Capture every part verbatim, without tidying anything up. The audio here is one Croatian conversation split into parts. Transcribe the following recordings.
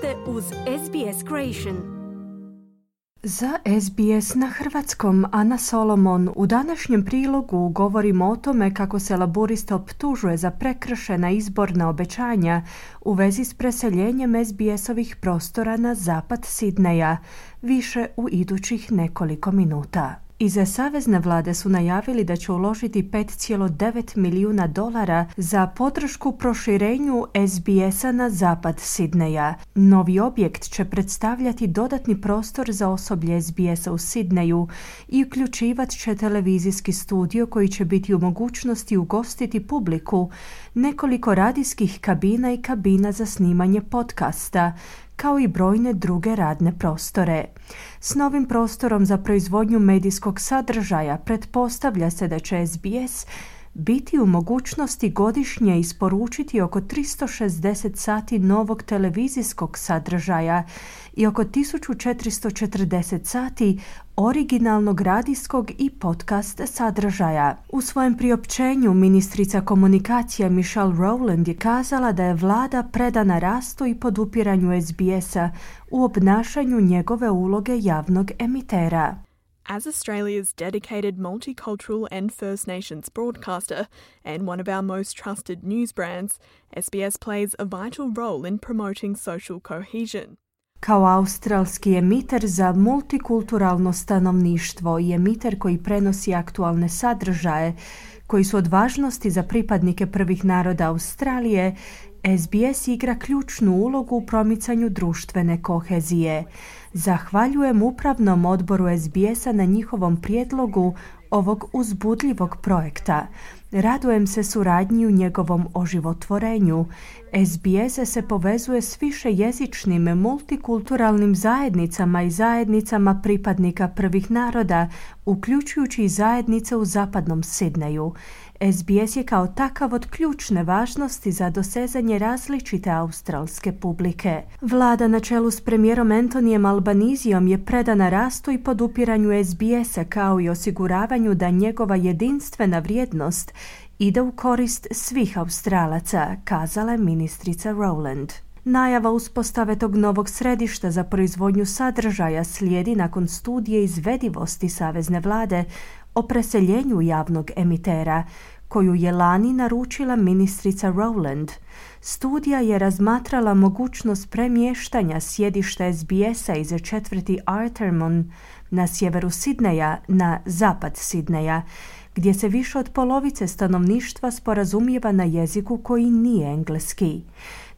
ste uz S B S Creation. Za S B S na hrvatskom Ana Solomon u današnjem prilogu govorimo o tome kako se laburista optužuje za prekršena izborna obećanja u vezi s preseljenjem S B S-ovih prostora na zapad Sidneja, više u idućih nekoliko minuta. Iza savezne vlade su najavili da će uložiti pet zarez devet milijuna dolara za podršku proširenju S B S-a na zapad Sidneja. Novi objekt će predstavljati dodatni prostor za osoblje S B S-a u Sidneju i uključivat će televizijski studio koji će biti u mogućnosti ugostiti publiku, nekoliko radijskih kabina i kabina za snimanje podcasta, kao i brojne druge radne prostore. S novim prostorom za proizvodnju medijskog sadržaja pretpostavlja se da će S B S biti u mogućnosti godišnje isporučiti oko tristo šezdeset sati novog televizijskog sadržaja i oko tisuću četiristo četrdeset sati originalnog radijskog i podcast sadržaja. U svojem priopćenju ministrica komunikacija Michelle Rowland je kazala da je vlada predana rastu i podupiranju S B S-a u obnašanju njegove uloge javnog emitera. As Australia's dedicated multicultural and First Nations broadcaster and one of our most trusted news brands, S B S plays a vital role in promoting social cohesion. Kao australski emiter za multikulturalno stanovništvo i emiter koji prenosi aktualne sadržaje koji su od važnosti za pripadnike prvih naroda Australije, S B S igra ključnu ulogu u promicanju društvene kohezije. Zahvaljujem upravnom odboru S B S-a na njihovom prijedlogu ovog uzbudljivog projekta. Radujem se suradnji u njegovom oživotvorenju. S B S se povezuje s višejezičnim multikulturalnim zajednicama i zajednicama pripadnika prvih naroda, uključujući i zajednice u zapadnom Sidneju. S B S je kao takav od ključne važnosti za dosezanje različite australske publike. Vlada na čelu s premijerom Antonijem Albanizijom je predana rastu i podupiranju S B S-a kao i osiguravanju da njegova jedinstvena vrijednost ide u korist svih Australaca, kazala je ministrica Rowland. Najava uspostave tog novog središta za proizvodnju sadržaja slijedi nakon studije izvedivosti savezne vlade o preseljenju javnog emitera, koju je lani naručila ministrica Rowland. Studija je razmatrala mogućnost premještanja sjedišta S B S-a iz četvrti Artarmon na sjeveru Sidneja na zapad Sidneja, gdje se više od polovice stanovništva sporazumijeva na jeziku koji nije engleski.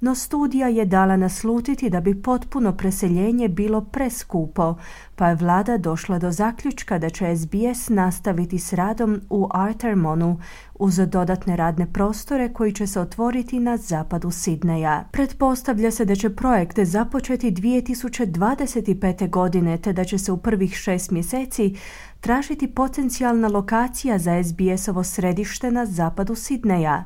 No studija je dala naslutiti da bi potpuno preseljenje bilo preskupo, pa je vlada došla do zaključka da će S B S nastaviti s radom u Artarmonu uz dodatne radne prostore koji će se otvoriti na zapadu Sidneja. Pretpostavlja se da će projekt započeti dvije tisuće dvadeset pete. godine, te da će se u prvih šest mjeseci tražiti potencijalna lokacija za S B S-ovo središte na zapadu Sidneja.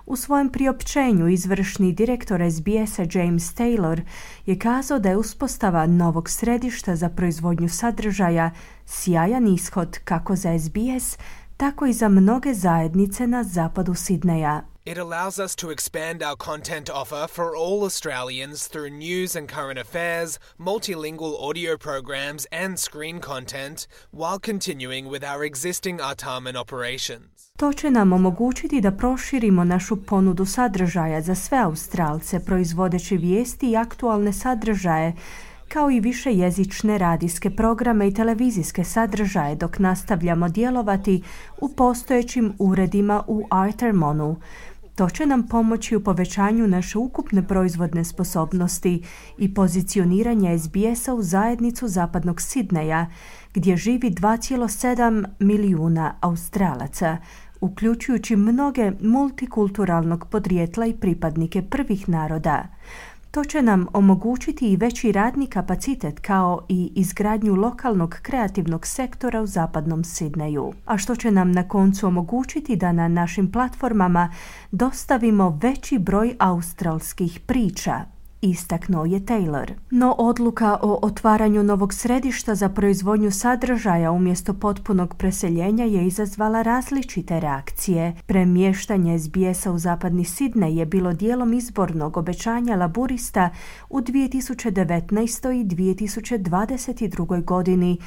U svojem priopćenju izvršni direktor S B S-a James Taylor je kazao da je uspostava novog središta za proizvodnju sadržaja sjajan ishod kako za S B S, tako i za mnoge zajednice na zapadu Sidneja. It allows us to expand our content offer for all Australians through news and current affairs, multilingual audio programs and screen content, while continuing with our existing Artarmon operations. To će nam omogućiti da proširimo našu ponudu sadržaja za sve Australce, proizvodeći vijesti i aktualne sadržaje, kao i višejezične radijske programe i televizijske sadržaje dok nastavljamo djelovati u postojećim uredima u Artarmonu. To će nam pomoći u povećanju naše ukupne proizvodne sposobnosti i pozicioniranja S B S-a u zajednicu zapadnog Sidneja, gdje živi dva zarez sedam milijuna Australaca, uključujući mnoge multikulturalnog podrijetla i pripadnike prvih naroda. To će nam omogućiti i veći radni kapacitet kao i izgradnju lokalnog kreativnog sektora u zapadnom Sidneju, a što će nam na koncu omogućiti da na našim platformama dostavimo veći broj australskih priča. istaknuo je Taylor. No odluka o otvaranju novog središta za proizvodnju sadržaja umjesto potpunog preseljenja je izazvala različite reakcije. Premještanje S B S-a u zapadni Sidnej je bilo dijelom izbornog obećanja laburista u dvije tisuće devetnaestoj i dvije tisuće dvadeset drugoj godini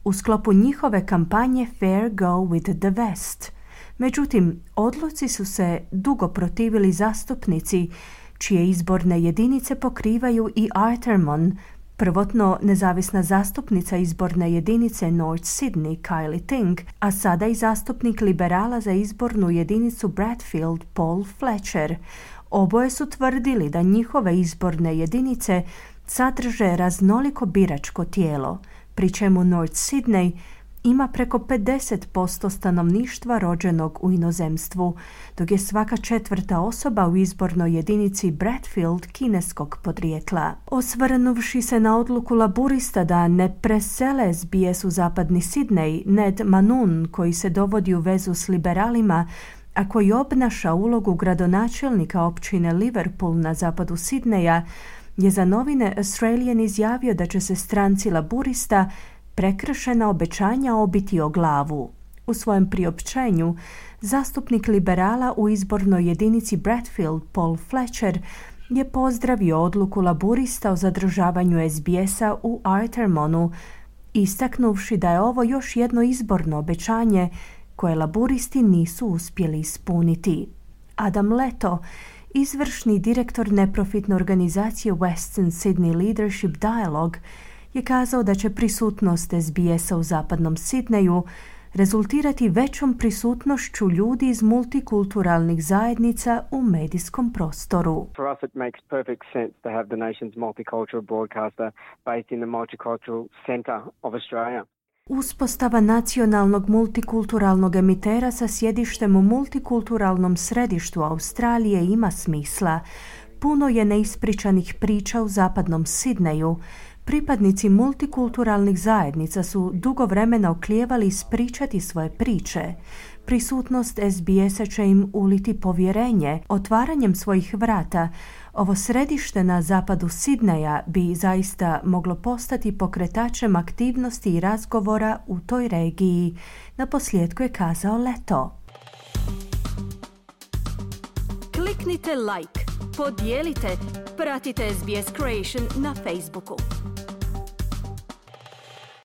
u sklopu njihove kampanje Fair Go with the West. Međutim, odluci su se dugo protivili zastupnici čije izborne jedinice pokrivaju i Artarmon, prvotno nezavisna zastupnica izborne jedinice North Sydney Kylie Ting, a sada i zastupnik liberala za izbornu jedinicu Bradfield Paul Fletcher. Oboje su tvrdili da njihove izborne jedinice sadrže raznoliko biračko tijelo, pri čemu North Sydney ima preko pedeset posto stanovništva rođenog u inozemstvu, dok je svaka četvrta osoba u izbornoj jedinici Bradfield kineskog podrijetla. Osvrnuvši se na odluku laburista da ne presele S B S u zapadni Sidnej, Ned Manun, koji se dovodi u vezu s liberalima, a koji obnaša ulogu gradonačelnika općine Liverpool na zapadu Sidneja, je za novine Australian izjavio da će se stranci laburista prekršena obećanja obiti o glavu. U svojem priopćenju, zastupnik liberala u izbornoj jedinici Bradfield Paul Fletcher je pozdravio odluku laburista o zadržavanju S B S-a u Artarmonu, istaknuvši da je ovo još jedno izborno obećanje koje laburisti nisu uspjeli ispuniti. Adam Leto, izvršni direktor neprofitne organizacije Western Sydney Leadership Dialogue, je kazao da će prisutnost S B S-a u zapadnom Sidneju rezultirati većom prisutnošću ljudi iz multikulturalnih zajednica u medijskom prostoru. For us it makes perfect sense to have the nation's multicultural broadcaster based in the multicultural centre of Australia. Uspostava nacionalnog multikulturalnog emitera sa sjedištem u multikulturalnom središtu Australije ima smisla. Puno je neispričanih priča u zapadnom Sidneju. Pripadnici multikulturalnih zajednica su dugo vremena oklijevali ispričati svoje priče. Prisutnost S B S-a će im uliti povjerenje. Otvaranjem svojih vrata, ovo središte na zapadu Sidneja bi zaista moglo postati pokretačem aktivnosti i razgovora u toj regiji, naposljetku je kazao Leto. Kliknite like, podijelite, pratite S B S Creation na Facebooku.